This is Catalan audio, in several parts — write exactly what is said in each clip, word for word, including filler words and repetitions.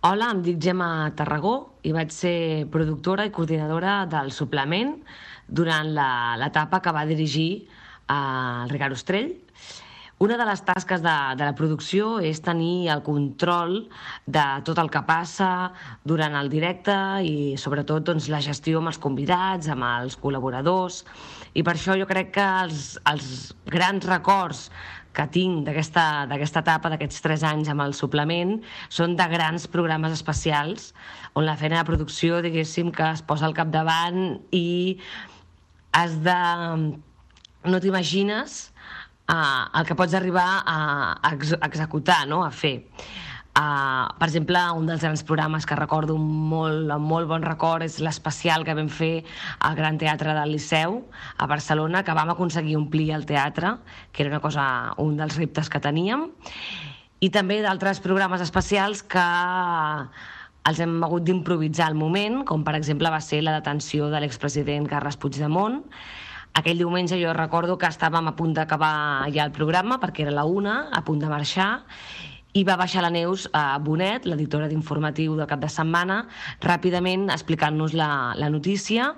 Hola, em dic Gemma Tarragó i vaig ser productora i coordinadora del suplement durant la- l'etapa que va dirigir el Ricard Ostrell. Una de les tasques de, de la producció és tenir el control de tot el que passa durant el directe i sobretot doncs, la gestió amb els convidats, amb els col·laboradors, i per això jo crec que els, els grans records que tinc d'aquesta d'aquesta etapa, d'aquests tres anys amb el suplement, són de grans programes especials on la feina de producció, diguéssim, que es posa al capdavant i has de... no t'imagines uh, el que pots arribar a, a ex executar, no? A fer. Uh, per exemple, un dels grans programes que recordo molt, amb molt bon record és l'especial que vam fer al Gran Teatre del Liceu a Barcelona, que vam aconseguir omplir el teatre, que era una cosa, un dels reptes que teníem, i també d'altres programes especials que els hem hagut d'improvisar al moment, com per exemple va ser la detenció de l'expresident Carles Puigdemont. Aquell diumenge jo recordo que estàvem a punt d'acabar ja el programa, perquè era la una, a punt de marxar, i va baixar la Neus a Bonet, l'editora d'informatiu de cap de setmana, ràpidament explicant-nos la, la notícia.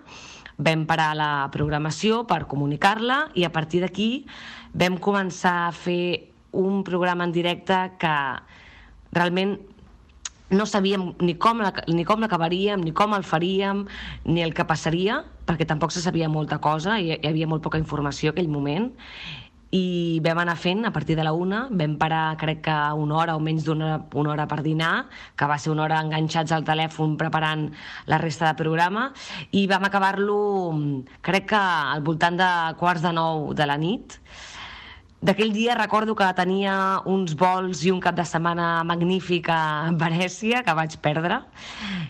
Vam parar la programació per comunicar-la i a partir d'aquí vam començar a fer un programa en directe que realment no sabíem ni com la- ni com l'acabaríem, ni com el faríem, ni el que passaria, perquè tampoc se sabia molta cosa, hi, hi havia molt poca informació en aquell moment, i vam anar fent a partir de la una, vam parar crec que una hora o menys d'una hora, una hora per dinar, que va ser una hora enganxats al telèfon preparant la resta de programa, i vam acabar-lo crec que al voltant de quarts de nou de la nit. D'aquell dia recordo que tenia uns vols i un cap de setmana magnífic a Venècia, que vaig perdre,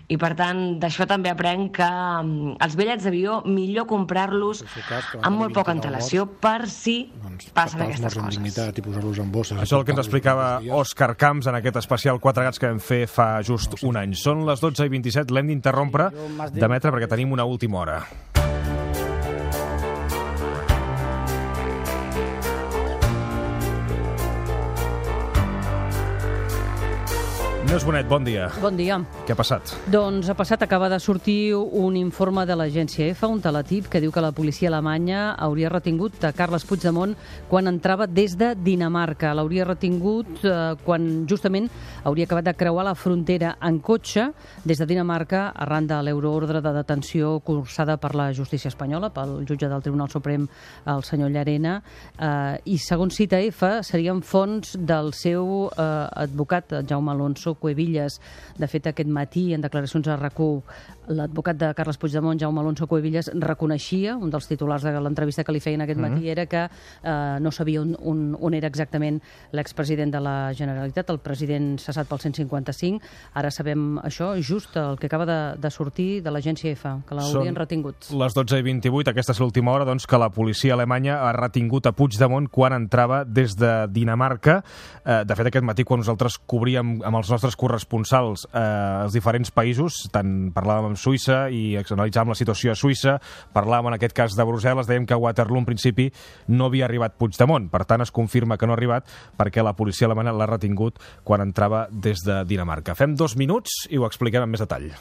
i per tant d'això també aprenc que mm, els bitllets d'avió millor comprar-los amb molt poca antelació per si passen aquestes amb coses. dignitat i posar-los en bosses. Això és el que ens explicava Òscar Camps en aquest especial Quatre Gats que vam fer fa just un any. Són les dotze i vint-i-set, l'hem d'interrompre, d'emetre, perquè tenim una última hora. Neus Bonet, bon dia. Bon dia. Què ha passat? Doncs ha passat, acaba de sortir un informe de l'agència EFA, un teletip, que diu que la policia alemanya hauria retingut a Carles Puigdemont quan entrava des de Dinamarca. L'hauria retingut eh, quan justament hauria acabat de creuar la frontera en cotxe des de Dinamarca arran de l'euroordre de detenció cursada per la justícia espanyola, pel jutge del Tribunal Suprem, el senyor Llarena, eh, i segons cita EFA serien fonts del seu eh, advocat, Jaume Alonso Cuevillas. De fet, aquest matí, en declaracions a RAC u, l'advocat de Carles Puigdemont, Jaume Alonso Cuevillas, reconeixia, un dels titulars de l'entrevista que li feien aquest matí, era que eh, no sabia on, on, on era exactament l'expresident de la Generalitat, el president cessat pel cent cinquanta-cinc. Ara sabem això, just el que acaba de, de sortir de l'agència EFA, que l'haurien retingut. Les dotze i vint-i-vuit, aquesta és l'última hora, doncs, que la policia alemanya ha retingut a Puigdemont quan entrava des de Dinamarca. Eh, de fet, aquest matí, quan nosaltres cobríem amb els nostres corresponsals eh, els diferents països, tant parlàvem amb Suïssa i analitzàvem la situació a Suïssa, parlàvem en aquest cas de Brussel·les, dèiem que a Waterloo en principi no havia arribat Puigdemont. Per tant, es confirma que no ha arribat perquè la policia alemanya l'ha retingut quan entrava des de Dinamarca. Fem dos minuts i ho expliquem amb més detall.